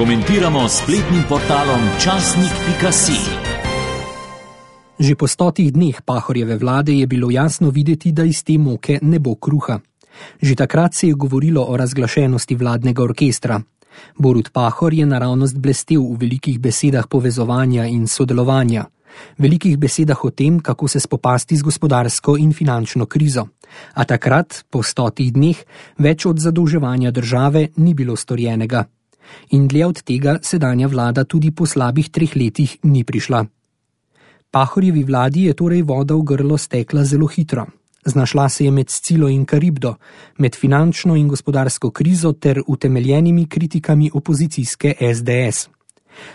Komentiramo s spletnim portalom časnik.si. Že po 100 dneh Pahorjeve vlade je bilo jasno videti, da iz te moke ne bo kruha. Že takrat se je govorilo o razglašenosti vladnega orkestra. Borut Pahor je naravnost blestel v velikih besedah povezovanja in sodelovanja. Velikih besedah o tem, kako se spopasti z gospodarsko in finančno krizo. A takrat, po 100 dneh, več od zadolževanja države ni bilo storjenega. In dlje od tega sedanja vlada tudi po slabih 3 letih ni prišla. Pahorjevi vladi je torej voda v grlo stekla zelo hitro. Znašla se je med Scilo in Karibdo, med finančno in gospodarsko krizo ter utemeljenimi kritikami opozicijske SDS.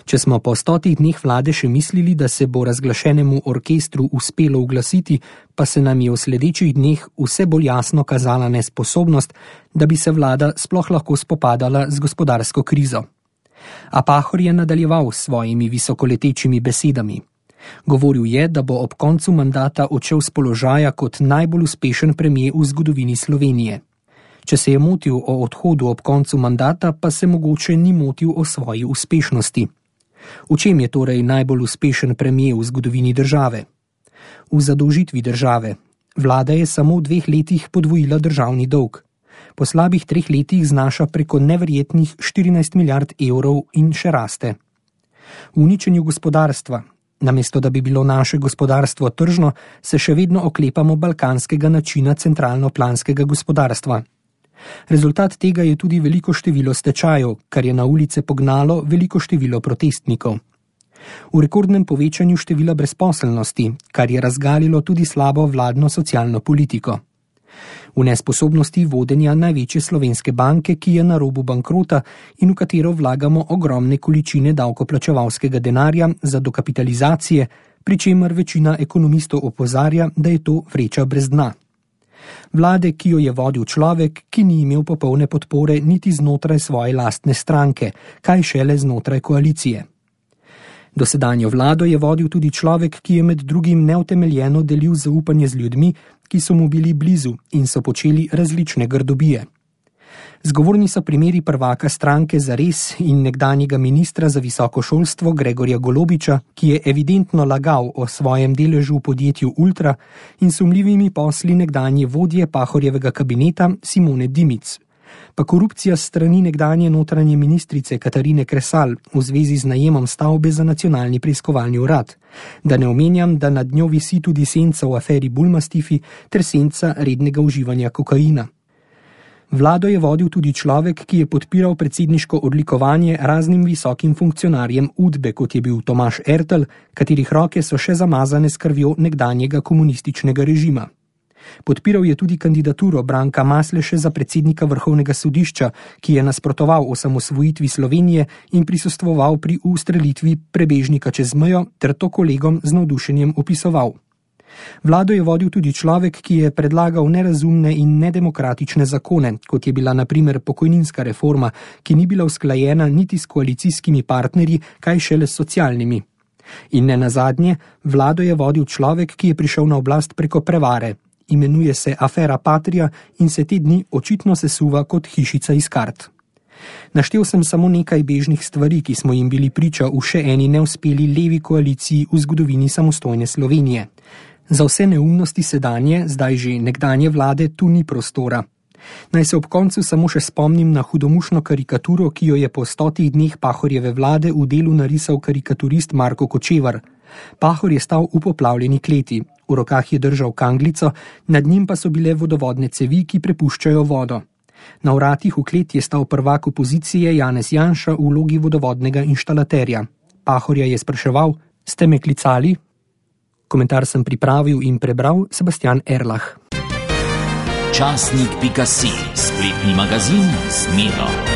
Če smo po 100 dneh vlade še mislili, da se bo razglašenemu orkestru uspelo uglasiti, pa se nam je v sledečih dneh vse bolj jasno kazala nesposobnost, da bi se vlada sploh lahko spopadala z gospodarsko krizo. A Pahor je nadaljeval s svojimi visokoletečimi besedami. Govoril je, da bo ob koncu mandata odšel z položaja kot najbolj uspešen premier v zgodovini Slovenije. Če se je motil o odhodu ob koncu mandata, pa se mogoče ni motil o svoji uspešnosti. V čem je torej najbolj uspešen premier v zgodovini države? V zadolžitvi države. Vlada je samo v 2 letih podvojila državni dolg. Po slabih 3 letih znaša preko neverjetnih 14 milijard evrov in še raste. V uničenju gospodarstva. Namesto da bi bilo naše gospodarstvo tržno, se še vedno oklepamo balkanskega načina centralno-planskega gospodarstva. Rezultat tega je tudi veliko število stečajev, kar je na ulice pognalo veliko število protestnikov. V rekordnem povečanju števila brezposelnosti, kar je razgalilo tudi slabo vladno socialno politiko. V nesposobnosti vodenja največje slovenske banke, ki je na robu bankrota in v katero vlagamo ogromne količine davkoplačevalskega denarja za dokapitalizacije, pri čemer večina ekonomistov opozarja, da je to vreča brez dna. Vlade, ki jo je vodil človek, ki ni imel popolne podpore niti znotraj svoje lastne stranke, kaj šele znotraj koalicije. Dosedanjo vlado je vodil tudi človek, ki je med drugim neutemeljeno delil zaupanje z ljudmi, ki so mu bili blizu in so počeli različne grdobije. Zgovorni so primeri prvaka stranke Zares in nekdanjega ministra za visoko šolstvo Gregorja Golobiča, ki je evidentno lagal o svojem deležu v podjetju Ultra, in sumljivimi posli nekdanje vodje Pahorjevega kabineta Simone Dimic. Pa korupcija s strani nekdanje notranje ministrice Katarine Kresal v zvezi z najemom stavbe za nacionalni preiskovalni urad. Da ne omenjam, da nad njo visi tudi senca v aferi Bulmastifi ter senca rednega uživanja kokaina. Vlado je vodil tudi človek, ki je podpiral predsedniško odlikovanje raznim visokim funkcionarjem Udbe, kot je bil Tomaž Ertl, katerih roke so še zamazane s krvjo nekdanjega komunističnega režima. Podpiral je tudi kandidaturo Branka Masleše za predsednika Vrhovnega sodišča, ki je nasprotoval osamosvojitvi Slovenije in prisostvoval pri ustrelitvi prebežnika čez mejo ter to kolegom z navdušenjem opisoval. Vlado je vodil tudi človek, ki je predlagal nerazumne in nedemokratične zakone, kot je bila na primer pokojninska reforma, ki ni bila usklajena niti s koalicijskimi partnerji, kaj šele s socialnimi. In ne nazadnje, vlado je vodil človek, ki je prišel na oblast preko prevare. Imenuje se afera Patria in se te dni očitno sesuva kot hišica iz kart. Naštel sem samo nekaj bežnih stvari, ki smo jim bili priča v še eni neuspeli levi koaliciji v zgodovini samostojne Slovenije. Za vse neumnosti sedanje, zdaj že nekdanje vlade, tu ni prostora. Naj se ob koncu samo še spomnim na hudomušno karikaturo, ki jo je po 100 dneh Pahorjeve vlade v delu narisal karikaturist Marko Kočevar. Pahor je stal v poplavljeni kleti, v rokah je držal kanglico, nad njim pa so bile vodovodne cevi, ki prepuščajo vodo. Na vratih v kleti je stal prvak opozicije Janez Janša v vlogi vodovodnega inštalaterja. Pahorja je spraševal: "Ste me klicali?" Komentar sem pripravil in prebral Sebastian Erlah. Časnik.si, spletni magazin z Miro.